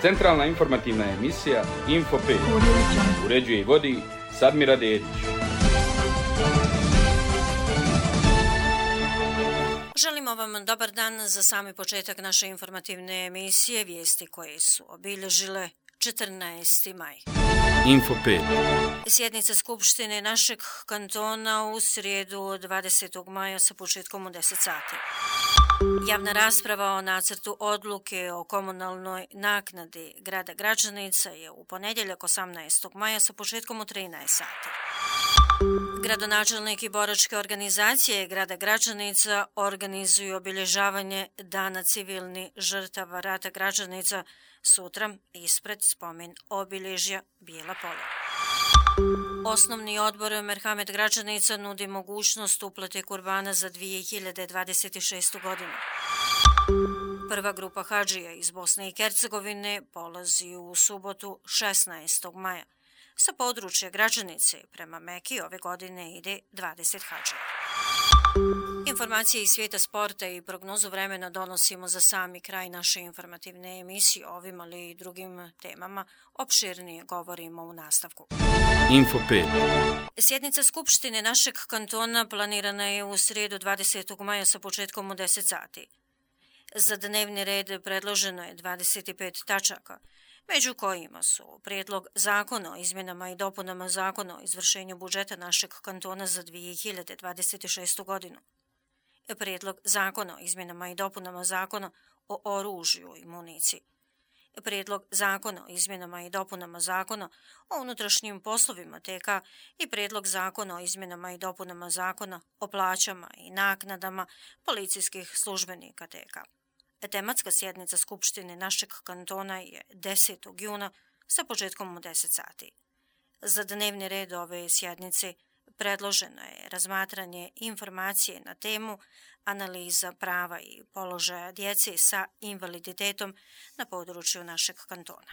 Centralna informativna emisija Info 5. Uređuje i vodi Sadmira Dedić. Želimo vam dobar dan za sami početak naše informativne emisije, vijesti koje su obilježile 14. maj. Info 5. Sjednica Skupštine našeg kantona u srijedu 20. maja sa početkom u 10 sati. Javna rasprava o nacrtu odluke o komunalnoj naknadi grada Gračanica je u ponedjeljak 18. maja sa početkom u 13 sati. Gradonačelnik i boračke organizacije grada Gračanica organizuju obilježavanje Dana civilnih žrtava rata Gračanica sutra ispred spomen obilježja Bijela polja. Osnovni odbor Merhamet Gračanica nudi mogućnost uplate kurbana za 2026. godinu. Prva grupa hadžija iz Bosne i Hercegovine polazi u subotu 16. maja. Sa područja Gračanice prema Meki ove godine ide 20 hadžija. Informacije iz svijeta sporta i prognozu vremena donosimo za sami kraj naše informativne emisije. Ovim ali i drugim temama opširnije govorimo u nastavku. Info 5. Sjednica Skupštine našeg kantona planirana je u srijedu 20. maja sa početkom u 10 sati. Za dnevni red predloženo je 25 tačaka, među kojima su prijedlog zakona o izmjenama i dopunama zakona o izvršenju budžeta našeg kantona za 2026. godinu, prijedlog zakona o izmjenama i dopunama zakona o oružju i municiji, prijedlog zakona o izmjenama i dopunama zakona o unutrašnjim poslovima TK i prijedlog zakona o izmjenama i dopunama zakona o plaćama i naknadama policijskih službenika TK. Tematska sjednica Skupštine našeg kantona je 10. juna sa početkom u 10 sati. Za dnevni red ove sjednice predloženo je razmatranje informacije na temu analiza prava i položaja djece sa invaliditetom na području našeg kantona.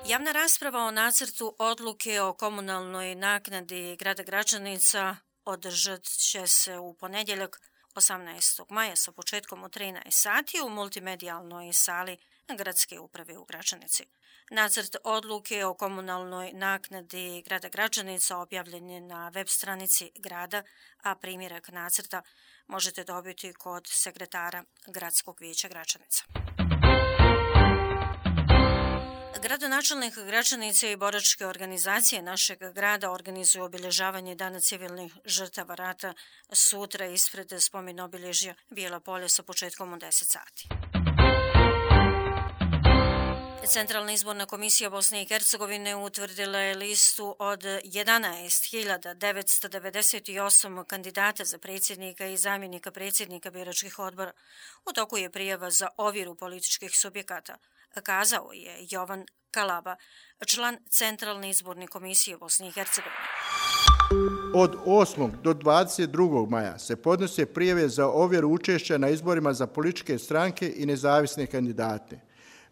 Javna rasprava o nacrtu odluke o komunalnoj naknadi grada Gračanica održat će se u ponedjeljak 18. maja sa početkom u 13 sati u multimedijalnoj sali Gradske uprave u Gračanici. Nacrt odluke o komunalnoj naknadi grada Gračanica objavljen je na web stranici grada, a primjerak nacrta možete dobiti kod sekretara Gradskog vijeća Gračanica. Gradonačelnik Gračanice i boračke organizacije našeg grada organizuju obilježavanje Dana civilnih žrtava rata sutra ispred spomen obilježja Bijela polja sa početkom u 10 sati. Centralna izborna komisija Bosne i Hercegovine utvrdila je listu od 11.998 kandidata za predsjednika i zamjenika predsjednika biračkih odbora. U toku je prijava za ovjeru političkih subjekata, kazao je Jovan Kalaba, član Centralne izborne komisije Bosne i Hercegovine. Od 8. do 22. maja se podnose prijave za ovjeru učešća na izborima za političke stranke i nezavisne kandidate.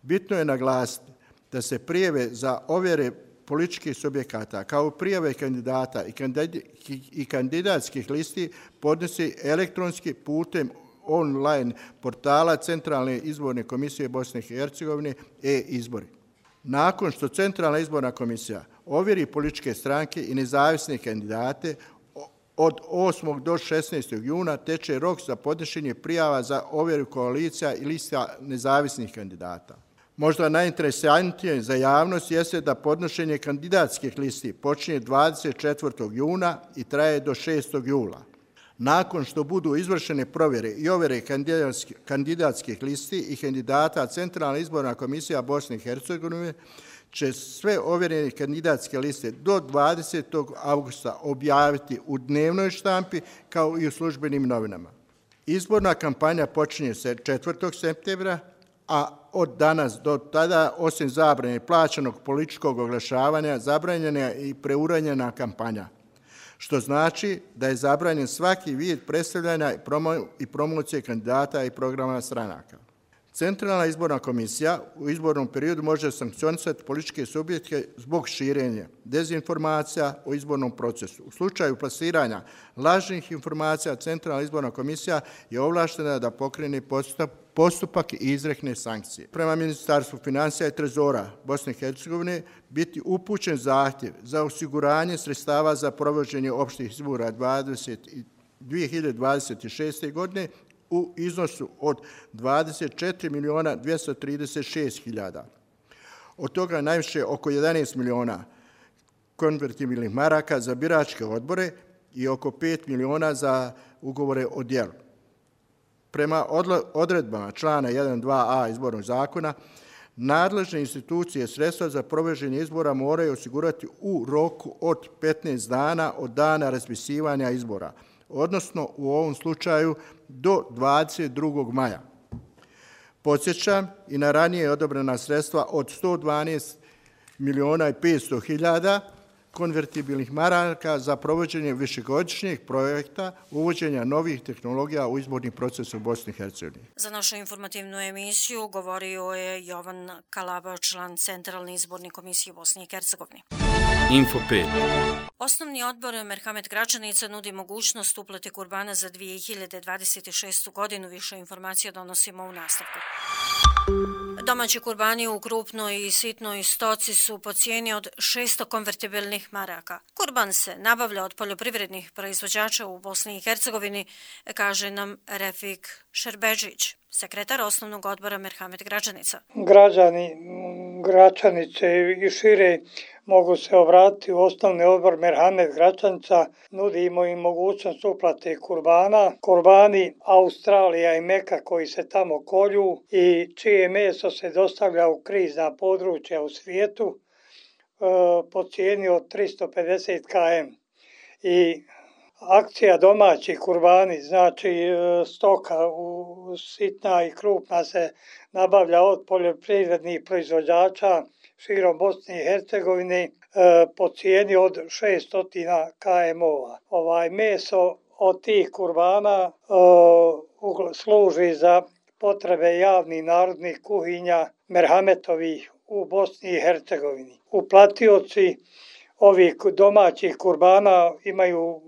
Bitno je naglasiti da se prijave za ovjere političkih subjekata kao prijave kandidata i kandidatskih listi podnose elektronski putem online portala Centralne izborne komisije Bosne i Hercegovine e-izbori. Nakon što Centralna izborna komisija ovjeri političke stranke i nezavisne kandidate, od 8. do 16. juna teče rok za podnošenje prijava za ovjeru koalicija i lista nezavisnih kandidata. Možda najinteresantnije za javnost jeste da podnošenje kandidatskih listi počinje 24. juna i traje do 6. jula. Nakon što budu izvršene provjere i ovjere kandidatskih listi i kandidata, Centralna izborna komisija Bosne i Hercegovine će sve ovjerene kandidatske liste do 20. augusta objaviti u dnevnoj štampi kao i u službenim novinama. Izborna kampanja počinje se 4. septembra, a od danas do tada, osim zabrane plaćenog političkog oglašavanja, zabranjena je i preuranjena kampanja, što znači da je zabranjen svaki vid predstavljanja i promocije kandidata i programa stranaka. Centralna izborna komisija u izbornom periodu može sankcionisati političke subjekte zbog širenja dezinformacija o izbornom procesu. U slučaju plasiranja lažnih informacija, Centralna izborna komisija je ovlaštena da pokrene postupak i izrekne sankcije. Prema Ministarstvu financija i trezora Bosne i Hercegovine biti upućen zahtjev za osiguranje sredstava za provođenje opštih izbora 2026. godine u iznosu od 24.236.000. Od toga najviše oko 11 miliona konvertibilnih maraka za biračke odbore i oko 5 miliona za ugovore o djelu. Prema odredbama člana 1.2a izbornog zakona, nadležne institucije sredstva za provođenje izbora moraju osigurati u roku od 15 dana od dana raspisivanja izbora, odnosno u ovom slučaju do 22. maja. Podsjećam i na ranije odobrena sredstva od 112 miliona i 500 hiljada konvertibilnih maraka za provođenje višegodišnjeg projekta uvođenja novih tehnologija u izborni proces u Bosni i Hercegovini. Za našu informativnu emisiju govorio je Jovan Kalaba, član Centralne izborne komisije Bosne i Hercegovine. Info 5. Osnovni odbor Merhamet Gračanica nudi mogućnost uplate kurbana za 2026. godinu. Više informacija donosimo u nastavku. Domaći kurbani u krupnoj i sitnoj stoci su po cijeni od 600 konvertibilnih maraka. Kurban se nabavlja od poljoprivrednih proizvođača u Bosni i Hercegovini, kaže nam Refik Šerbeđić, sekretar osnovnog odbora Merhamet Gračanica. Građani Gračanice i šire mogu se obratiti u osnovni odbor Merhamet Gračanica, nudimo im mogućnost uplate kurbana. Kurbani Australija i Meka koji se tamo kolju i čije meso se dostavlja u krizna područja u svijetu po cijeni od 350 km. I akcija domaći kurbani, znači stoka sitna i krupna se nabavlja od poljoprivrednih proizvođača širom Bosne i Hercegovine po cijeni od 600 km-ova. Meso od tih kurbana služi za potrebe javnih narodnih kuhinja Merhametovih u Bosni i Hercegovini. Uplatioci ovih domaćih kurbana imaju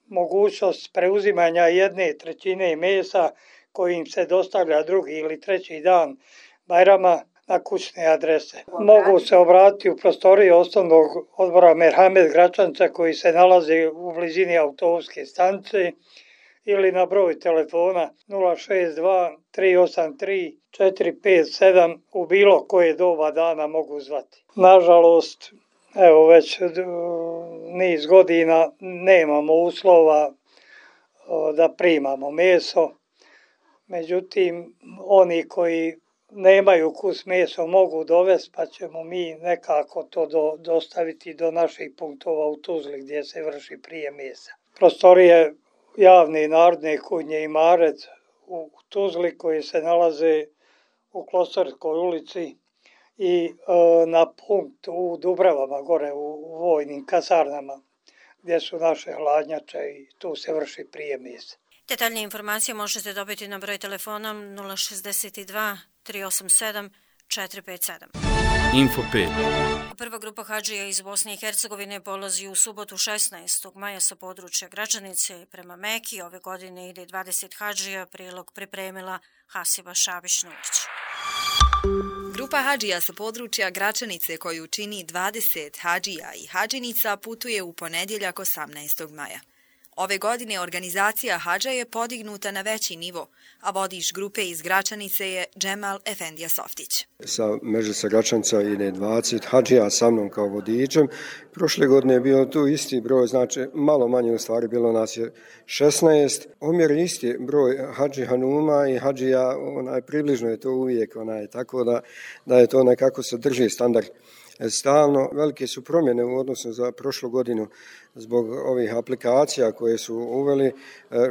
mogućnost preuzimanja 1/3 mesa koji im se dostavlja drugi ili treći dan Bajrama na kućne adrese. Mogu se obratiti u prostoriji osnovnog odbora Merhamet Gračanica koji se nalazi u blizini autobuske stanice ili na broj telefona 062 383 457 u bilo koje doba dana mogu zvati. Nažalost, evo već niz godina nemamo uslova da primamo meso, međutim oni koji nemaju kus meso mogu dovesti, pa ćemo mi nekako to dostaviti do naših punktova u Tuzli gdje se vrši prijem mesa. Prostorije javne i narodne kuhinje Imaret u Tuzli koji se nalaze u Klosarskoj ulici i na punkt u Dubravama, gore u vojnim kasarnama, gdje su naše hladnjače i tu se vrši prijem mesa. Detaljne informacije možete dobiti na broj telefona 062 387 457. Info 5. Prva grupa hadžija iz Bosne i Hercegovine polazi u subotu 16. maja sa područja Gračanice prema Meki. Ove godine ide 20 hadžija, prilog pripremila Hasiba Šabić-Nurić. Grupa hadžija sa područja Gračanice koju čini 20 hadžija i hadžinica putuje u ponedjeljak 18. maja. Ove godine organizacija hadža je podignuta na veći nivo, a vodič grupe iz Gračanice je Džemal Efendija Softić. Sa Međusa Gračanica ide 20 hadžija sa mnom kao vodičem. Prošle godine je bio tu isti broj, znači malo manje u stvari, bilo nas je 16. Omjer isti broj hadži hanuma i hadžija, približno je to uvijek, tako da je to nekako se drži standard. Stalno velike su promjene u odnosu za prošlu godinu. zbog ovih aplikacija koje su uveli,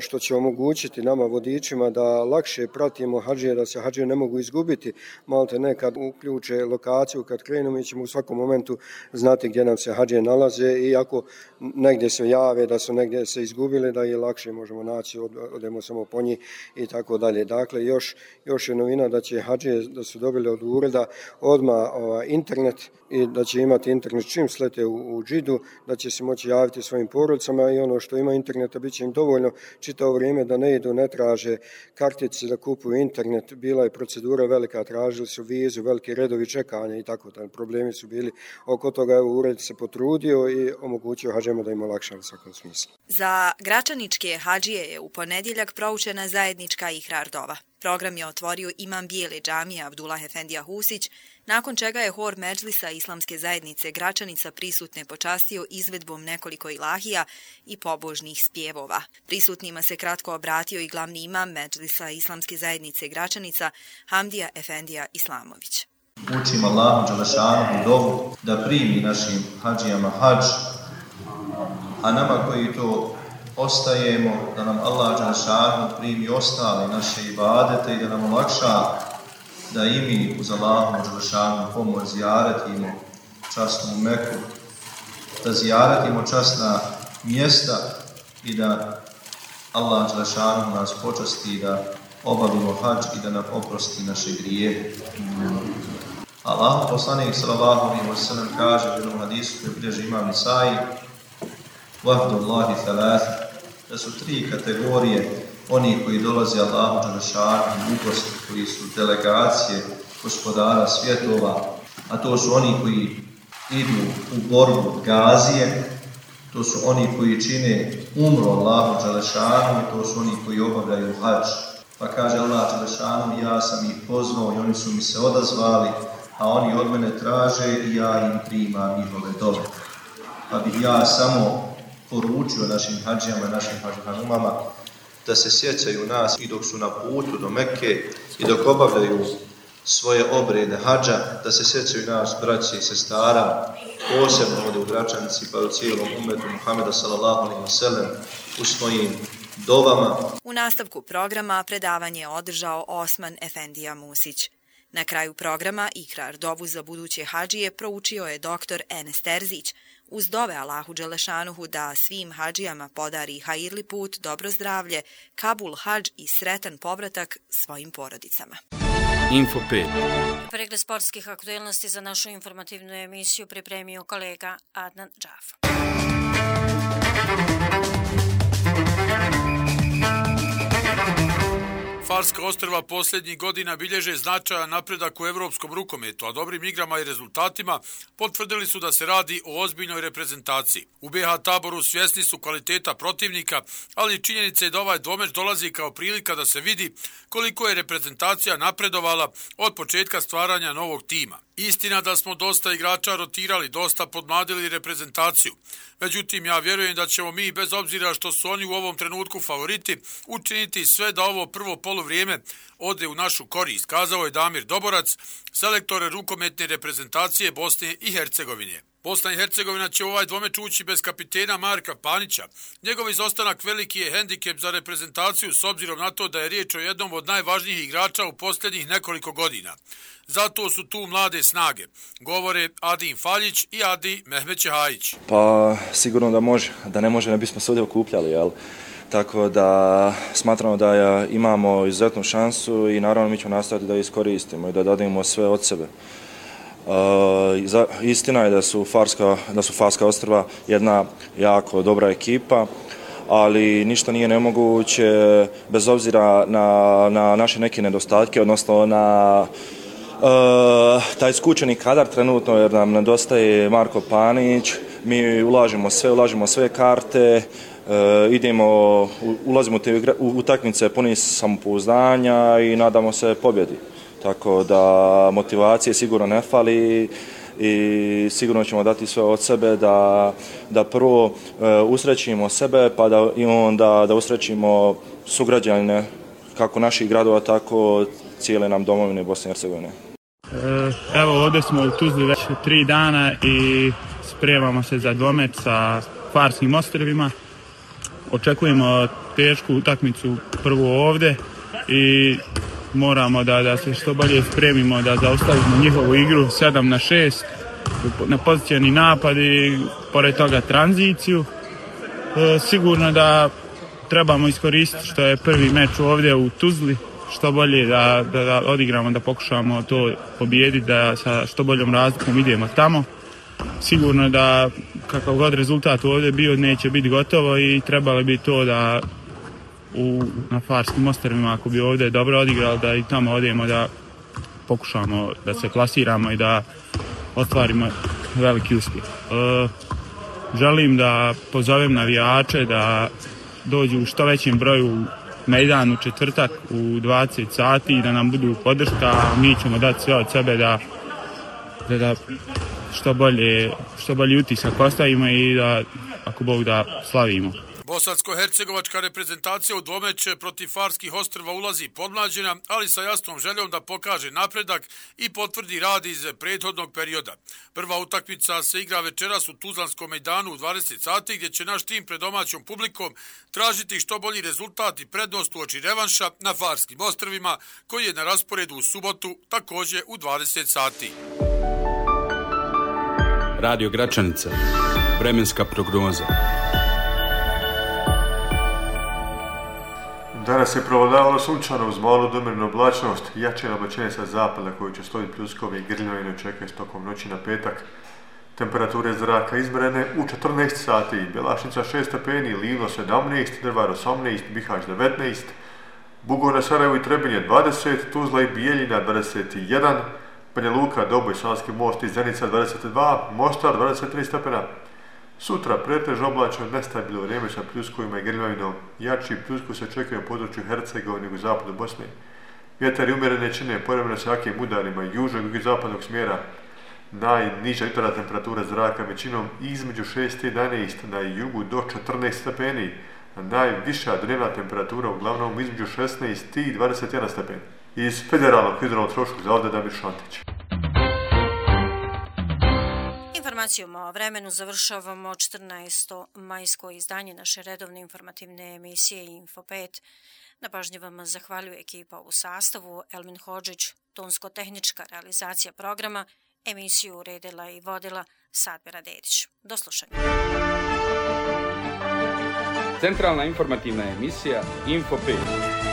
što će omogućiti nama vodičima da lakše pratimo hadžije, da se hadžije ne mogu izgubiti. Malte nekad uključe lokaciju, kad krenemo mi ćemo u svakom momentu znati gdje nam se hadžije nalaze i ako negdje se jave da su negdje se izgubili, da je lakše možemo naći, odemo samo po njih i tako dalje. Dakle, još je novina da će hadžije, da su dobili od ureda odmah internet i da će imati internet čim slete u džidu, da će se moći javiti svojim porodicama i ono što ima interneta bit će im dovoljno čitavo vrijeme da ne idu, ne traže kartice da kupuju internet. Bila je procedura velika, tražili su vizu, veliki redovi čekanja i tako da problemi su bili oko toga. Evo, ured se potrudio i omogućio hadžijama da im olakša u svakom smislu. Za gračaničke hadžije je u ponedjeljak proučena zajednička ihrar dova. Program je otvorio imam Bijele džamije Abdullah Efendija Husić, nakon čega je hor Medžlisa Islamske zajednice Gračanica prisutne počastio izvedbom nekoliko ilahija i pobožnih spjevova. Prisutnima se kratko obratio i glavni imam Medžlisa Islamske zajednice Gračanica Hamdija Efendija Islamović. Učimo Allahu dželešanu dovu da primi našim hadžijama hadž, a nama koji to ostajemo, da nam Allah dželešanu primi ostale naše ibadete i da nam olakša da i mi uz Allahu dželešanu pomoć zijaretimo časnu Meku, da zijaretimo časna mjesta i da Allah dželešanu nas počasti da obavimo hadž i da nam oprosti naše grijehe. Allah poslanik sallallahu alejhi ve sellem kaže u jednom hadisu koji bilježi imam Nisai: "Vahdullahi thalath", da su tri kategorije oni koji dolaze Allahu dželešanu u gost, koji su delegacije gospodara svjetova, a to su oni koji idu u borbu gazije, to su oni koji čine umru Allahu dželešanu i to su oni koji obavljaju hadž. Pa kaže Allah dželešanu: ja sam ih pozvao i oni su mi se odazvali, a oni od mene traže i ja im primam njihove dove. Pa bih ja samo poručio našim hadžijama, našim hadžhanumama da se sjećaju nas i dok su na putu do Mekke i dok obavljaju svoje obrede hadža, da se sjećaju nas, braće i sestara, posebno ovdje u Gračanici pa u cijelom umetu Muhameda sallallahu alejhi ve sellem u svojim dovama. U nastavku programa predavanje je održao Osman Efendija Musić. Na kraju programa ihrar dovu za buduće hadžije proučio je doktor Enes Terzić, uz dove Allahu dželešanuhu da svim hadžijama podari hajirli put, dobro zdravlje, kabul hadž i sretan povratak svojim porodicama. Info 5. Pregled sportskih aktuelnosti za našu informativnu emisiju pripremio kolega Adnan Džaf. Farska ostrva posljednjih godina bilježe značajan napredak u evropskom rukometu, a dobrim igrama i rezultatima potvrdili su da se radi o ozbiljnoj reprezentaciji. U BH Taboru svjesni su kvaliteta protivnika, ali činjenica je da ovaj dvomeč dolazi kao prilika da se vidi koliko je reprezentacija napredovala od početka stvaranja novog tima. Istina da smo dosta igrača rotirali, dosta podmladili reprezentaciju. Međutim, ja vjerujem da ćemo mi, bez obzira što su oni u ovom trenutku favoriti, učiniti sve da ovo prvo poluvrijeme ode u našu korist, kazao je Damir Doborac, selektor rukometne reprezentacije Bosne i Hercegovine. Bosna i Hercegovina će u ovaj dvomeč ući bez kapitena Marka Panića. Njegov izostanak veliki je hendikep za reprezentaciju s obzirom na to da je riječ o jednom od najvažnijih igrača u posljednjih nekoliko godina. Zato su tu mlade snage, govore Adin Faljić i Adi Mehmet Čehajić. Pa sigurno da može, da ne može ne bismo se ovdje okupljali, jel? Tako da smatramo da imamo izuzetnu šansu i naravno mi ćemo nastaviti da iskoristimo i da dademo sve od sebe. Istina je da su Farska ostrva jedna jako dobra ekipa, ali ništa nije nemoguće bez obzira na naše neke nedostatke, odnosno na taj skučeni kadar trenutno, jer nam nedostaje Marko Panić. Mi ulažemo sve karte, ulazimo u utakmice puni samopouzdanja i nadamo se pobjedi. Tako da motivacije sigurno ne fali i sigurno ćemo dati sve od sebe da prvo usrećimo sebe, pa da usrećimo sugrađane kako naših gradova, tako cijele nam domovine Bosne i Hercegovine. Evo, ovdje smo u Tuzli već 3 dana i spremamo se za dvomeč sa Farskim ostrvima. Očekujemo tešku utakmicu prvo ovdje i moramo da se što bolje spremimo, da zaustavimo njihovu igru 7-6 na pozicijani napad i pored toga tranziciju. Sigurno da trebamo iskoristiti što je prvi meč ovdje u Tuzli, što bolje da odigramo, da pokušamo to pobijediti, da sa što boljom razlikom idemo tamo. Sigurno da kakav god rezultat ovdje bio neće biti gotovo i trebalo bi to da na Farskim ostrvima, ako bi ovdje dobro odigrali, da i tamo odemo, da pokušamo da se plasiramo i da ostvarimo veliki uspjeh. Želim da pozovem navijače da dođu u što većem broju mejdan u četvrtak u 20 sati i da nam budu podrška. Mi ćemo dati sve od sebe da što bolji utisak ostavimo i da, ako Bog da, slavimo. Bosansko-hercegovačka reprezentacija u dvomeč protiv Farskih ostrva ulazi podmlađena, ali sa jasnom željom da pokaže napredak i potvrdi rad iz prethodnog perioda. Prva utakmica se igra večeras u Tuzlanskom mejdanu u 20 sati, gdje će naš tim pred domaćom publikom tražiti što bolji rezultat i prednost uoči revanša na Farskim ostrvima, koji je na rasporedu u subotu, također u 20 sati. Radio Gračanica. Vremenska prognoza. Danas je provladavalo sunčano uz malu domjernu oblačnost, jače nabačenje sa zapada koji će stojiti pljuskovi i grljavine očekuje tokom noći na petak. Temperature zraka izmjerene u 14 sati, Bjelašnica 6 stepeni, Livno 17, Drvar 18, Bihać 19, Bugoj na Sarajevu i Trebinje 20, Tuzla i Bijeljina 21, Banja Luka, Doboj, Sanski most i Zenica 22, Mostar 23 stepena. Sutra pretežno oblačno nestabilno vrijeme sa pljuskovima i grljavinom. Jači pljusku se očekuje u području Hercegovine i zapadu Bosne. Vjetar i umjerene čine povremeno sa jakim udarima južnog i zapadnog smjera. Najniža jutarnja temperatura zraka većinom između 6 i 11, na jugu do 14 stepeni. Najviša dnevna temperatura uglavnom između 16 i 21 stepeni. Iz Federalnog hidrometeorološkog zavoda Damir Šantić. Informacijom o vremenu završavamo 14. majsko izdanje naše redovne informativne emisije Info 5. Na pažnji vam zahvaljuje ekipa u sastavu: Elmin Hodžić, tonsko-tehnička realizacija programa, emisiju uredila i vodila Sadmira Dedić. Do slušanja. Centralna informativna emisija Info 5.